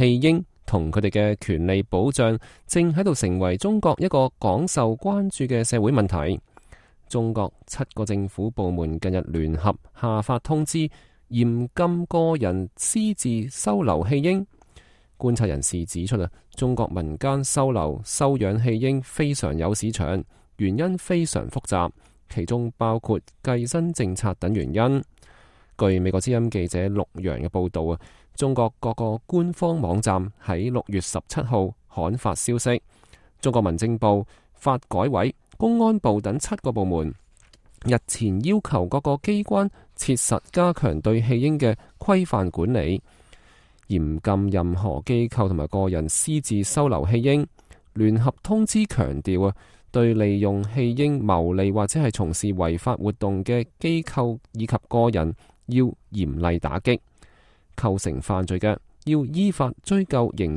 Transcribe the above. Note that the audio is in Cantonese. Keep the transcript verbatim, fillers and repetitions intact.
棄嬰同佢哋嘅權利保障正喺度成為中國一個廣受關注嘅社會問題。中國七個政府部門近日聯合下發通知，嚴禁個人私自收留棄嬰。觀察人士指出啊，中國民間收留收養棄嬰非常有市場，原因非常複雜，其中包括計生政策等原因。據美國之音記者陸洋嘅報道啊，中國各個官方網站喺六月十七號刊發消息，中國民政部、發改委、公安部等七個部門日前要求各個機關切實加強對棄嬰嘅規範管理，嚴禁任何機構同埋個人私自收留棄嬰。聯合通知強調啊，對利用棄嬰牟利或者係從事違法活動嘅機構以及個人要嚴厲打擊，構成犯罪嘅要依法追究刑